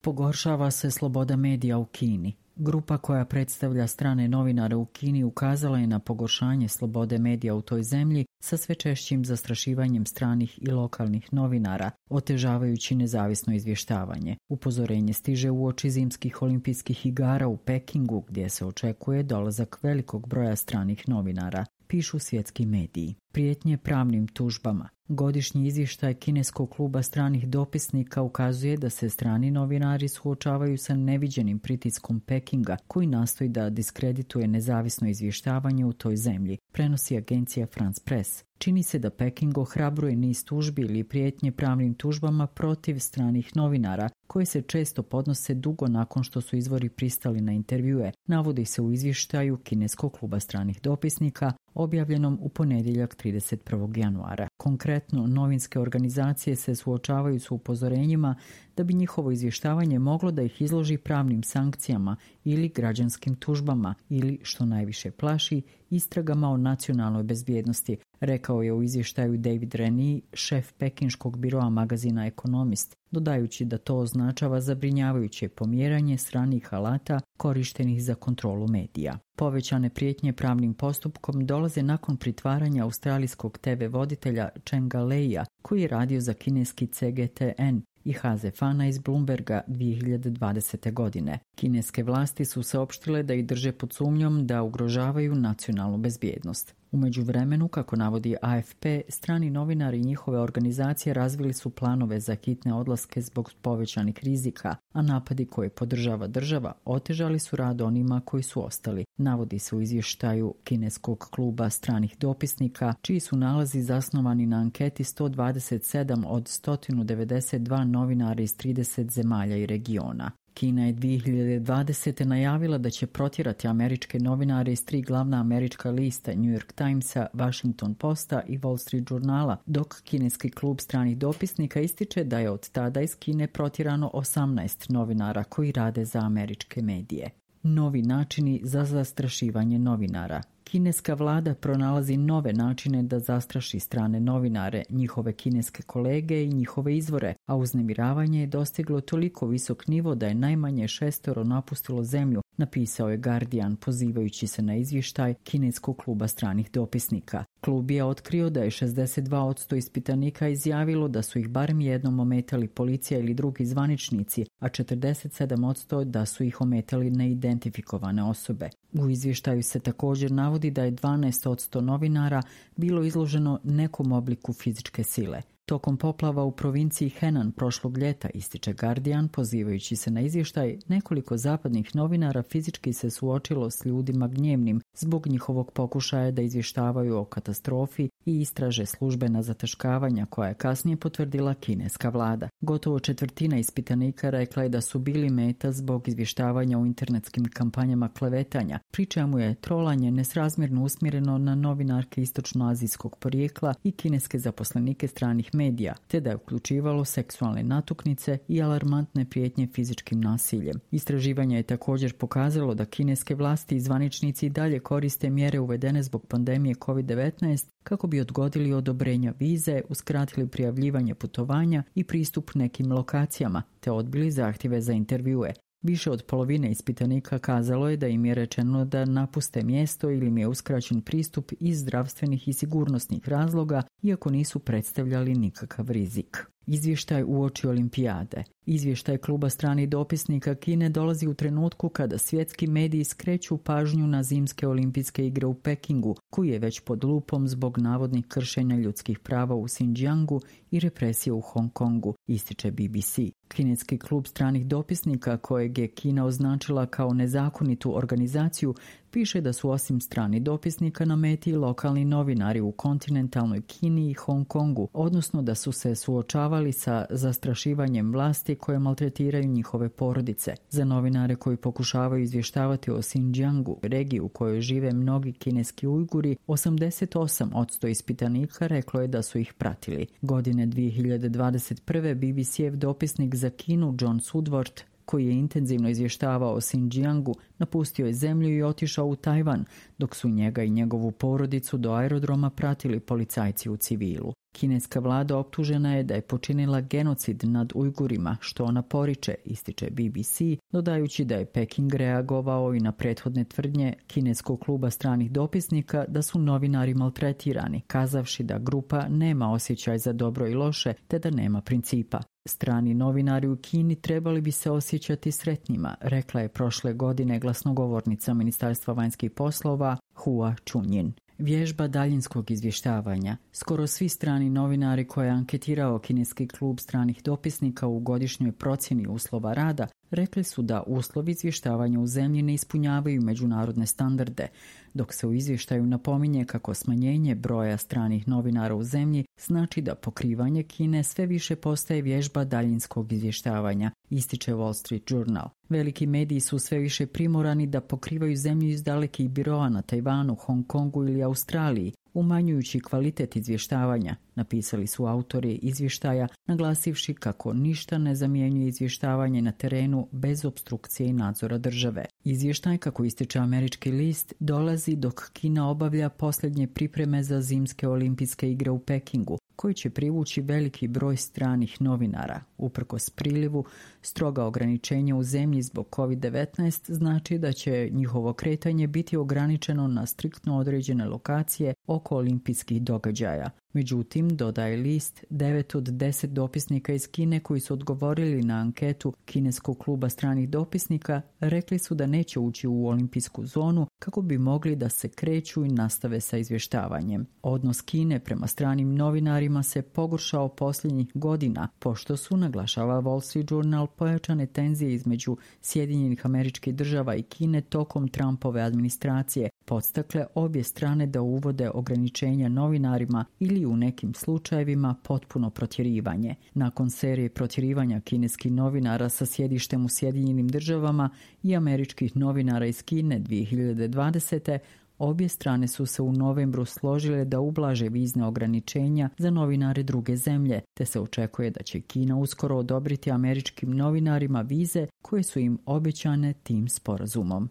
Pogoršava se sloboda medija u Kini. Grupa koja predstavlja strane novinare u Kini ukazala je na pogoršanje slobode medija u toj zemlji sa sve češćim zastrašivanjem stranih i lokalnih novinara, otežavajući nezavisno izvještavanje. Upozorenje stiže uoči zimskih olimpijskih igara u Pekingu, gdje se očekuje dolazak velikog broja stranih novinara, pišu svjetski mediji. Prijetnje pravnim tužbama. Godišnji izvještaj kineskog kluba stranih dopisnika ukazuje da se strani novinari suočavaju sa neviđenim pritiskom Pekinga, koji nastoji da diskredituje nezavisno izvještavanje u toj zemlji, prenosi agencija France Press. Čini se da Peking ohrabruje niz tužbi ili prijetnje pravnim tužbama protiv stranih novinara, koje se često podnose dugo nakon što su izvori pristali na intervjue, navodi se u izvještaju kineskog kluba stranih dopisnika, objavljenom u ponedjeljak 31. januara. Konkretno, novinske organizacije se suočavaju s upozorenjima da bi njihovo izvještavanje moglo da ih izloži pravnim sankcijama ili građanskim tužbama ili, što najviše plaši, istragama o nacionalnoj bezbjednosti, rekao je u izvještaju David Reni, šef pekinškog biroa magazina Economist, dodajući da to označava zabrinjavajuće pomjeranje stranih alata korištenih za kontrolu medija. Povećane prijetnje pravnim postupkom dolaze nakon pritvaranja australijskog TV voditelja Chenga Leia, koji je radio za kineski CGTN, i Hazefana iz Bloomberga 2020. godine. Kineske vlasti su saopštile da ih drže pod sumnjom da ugrožavaju nacionalnu bezbjednost. U međuvremenu, kako navodi AFP, strani novinari i njihove organizacije razvili su planove za hitne odlaske zbog povećanih rizika, a napadi koje podržava država otežali su rad onima koji su ostali, navodi se u izvještaju kineskog kluba stranih dopisnika, čiji su nalazi zasnovani na anketi 127 od 192 novinara iz 30 zemalja i regiona. Kina je 2020. najavila da će protjerati američke novinare iz 3 glavna američka lista New York Timesa, Washington Posta i Wall Street Journala, dok kineski klub stranih dopisnika ističe da je od tada iz Kine protjerano 18 novinara koji rade za američke medije. Novi načini za zastrašivanje novinara. Kineska vlada pronalazi nove načine da zastraši strane novinare, njihove kineske kolege i njihove izvore, a uznemiravanje je dostiglo toliko visok nivo da je najmanje 6 napustilo zemlju, napisao je Guardian pozivajući se na izvještaj kineskog kluba stranih dopisnika. Klub je otkrio da je 62% ispitanika izjavilo da su ih barem jednom ometali policija ili drugi zvaničnici, a 47% da su ih ometali neidentifikovane osobe. U izvještaju se također navodi da je 12% novinara bilo izloženo nekom obliku fizičke sile. Tokom poplava u provinciji Henan prošlog ljeta, ističe Guardian, pozivajući se na izvještaj, nekoliko zapadnih novinara fizički se suočilo s ljudima gnjevnim zbog njihovog pokušaja da izvještavaju o katastrofi i istraže službena zataškavanja koja je kasnije potvrdila kineska vlada. Gotovo četvrtina ispitanika rekla je da su bili meta zbog izvještavanja u internetskim kampanjama klevetanja, pri čemu je trolanje nesrazmjerno usmjereno na novinarke istočnoazijskog porijekla i kineske zaposlenike stranih medija, te da je uključivalo seksualne natuknice i alarmantne prijetnje fizičkim nasiljem. Istraživanje je također pokazalo da kineske vlasti i zvaničnici dalje koriste mjere uvedene zbog pandemije COVID-19 kako bi odgodili odobrenja vize, uskratili prijavljivanje putovanja i pristup nekim lokacijama, te odbili zahtjeve za intervjue. Više od polovine ispitanika kazalo je da im je rečeno da napuste mjesto ili im je uskraćen pristup iz zdravstvenih i sigurnosnih razloga, iako nisu predstavljali nikakav rizik. Izvještaj uoči olimpijade. Izvještaj kluba stranih dopisnika Kine dolazi u trenutku kada svjetski mediji skreću pažnju na zimske olimpijske igre u Pekingu, koji je već pod lupom zbog navodnih kršenja ljudskih prava u Xinjiangu i represije u Hong Kongu, ističe BBC. Kineski klub stranih dopisnika, kojeg je Kina označila kao nezakonitu organizaciju, piše da su osim strani dopisnika na meti lokalni novinari u kontinentalnoj Kini i Hong Kongu, odnosno da su se suočavali sa zastrašivanjem vlasti koje maltretiraju njihove porodice. Za novinare koji pokušavaju izvještavati o Xinjiangu, regiji u kojoj žive mnogi kineski Ujguri, 88% ispitanika reklo je da su ih pratili. Godine 2021. BBC-ev dopisnik za Kinu John Sudworth, koji je intenzivno izvještavao o Xinjiangu, napustio je zemlju i otišao u Tajvan, dok su njega i njegovu porodicu do aerodroma pratili policajci u civilu. Kineska vlada optužena je da je počinila genocid nad Ujgurima, što ona poriče, ističe BBC, dodajući da je Peking reagovao i na prethodne tvrdnje kineskog kluba stranih dopisnika da su novinari maltretirani, kazavši da grupa nema osjećaj za dobro i loše, te da nema principa. Strani novinari u Kini trebali bi se osjećati sretnima, rekla je prošle godine glasnogovornica Ministarstva vanjskih poslova Hua Chunying. Vježba daljinskog izvještavanja. Skoro svi strani novinari koje je anketirao kineski klub stranih dopisnika u godišnjoj procjeni uslova rada rekli su da uslovi izvještavanja u zemlji ne ispunjavaju međunarodne standarde, dok se u izvještaju napominje kako smanjenje broja stranih novinara u zemlji znači da pokrivanje Kine sve više postaje vježba daljinskog izvještavanja, ističe Wall Street Journal. Veliki mediji su sve više primorani da pokrivaju zemlju iz dalekih biroa na Tajvanu, Hong Kongu ili Australiji, umanjujući kvalitet izvještavanja, napisali su autori izvještaja, naglasivši kako ništa ne zamjenjuje izvještavanje na terenu bez opstrukcije i nadzora države. Izvještaj, kako ističe američki list, dolazi dok Kina obavlja posljednje pripreme za zimske olimpijske igre u Pekingu, koji će privući veliki broj stranih novinara. Uprkos prilivu, stroga ograničenja u zemlji zbog COVID-19 znači da će njihovo kretanje biti ograničeno na striktno određene lokacije oko olimpijskih događaja. Međutim, dodaje list, 9 od 10 dopisnika iz Kine koji su odgovorili na anketu kineskog kluba stranih dopisnika rekli su da neće ući u olimpijsku zonu kako bi mogli da se kreću i nastave sa izvještavanjem. Odnos Kine prema stranim novinarima se pogoršao posljednjih godina, pošto su, naglašava Wall Street Journal, pojačane tenzije između Sjedinjenih Američkih Država i Kine tokom Trumpove administracije podstakle obje strane da uvode ograničenja novinarima ili u nekim slučajevima potpuno protjerivanje. Nakon serije protjerivanja kineskih novinara sa sjedištem u Sjedinjenim Državama i američkih novinara iz Kine 2020. obje strane su se u novembru složile da ublaže vizne ograničenja za novinare druge zemlje, te se očekuje da će Kina uskoro odobriti američkim novinarima vize koje su im obećane tim sporazumom.